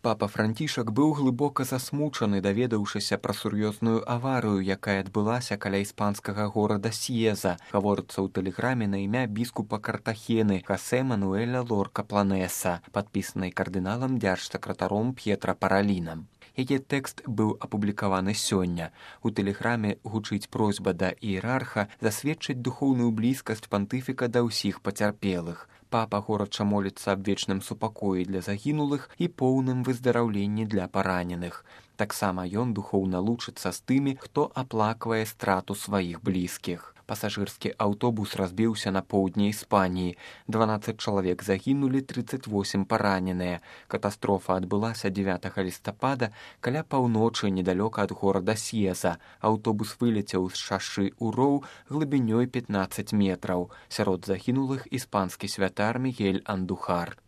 Папа Францішак быў глыбока засмучаны, даведаўшыся пра сур'ёзную аварыю, якая адбылася каля іспанскага горада Сьеза, гаворыцца ў тэлеграме на імя біскупа Картахены Хосе Мануэля Лорка Планеса, падпісанай кардыналам дзяржсакратаром П'етра Паралінам. Яе тэкст быў апублікаваны сёння. У тэлеграме гучыць просьба да іерарха засведчыць духоўную блізкасць пантыфіка да ўсіх пацярпелых. Папа горача моліцца аб вечным супакоі для загінулых і поўным выздараўленні для параненых. Таксама ён духоўна лучыцца з тымі, хто аплаквае страту сваіх блізкіх. Пасажырскі аўтобус разбіўся на поўдні Іспаніі. 12 чалавек загінулі, 38 параненыя. Катастрофа адбылася 9 лістапада каля паўночы недалёка ад горада Сьеза. Аўтобус вылецеў з шашы ў роў глыбінёй 15 метраў. Сярод загінулых іспанскі святар Мігель Андухар.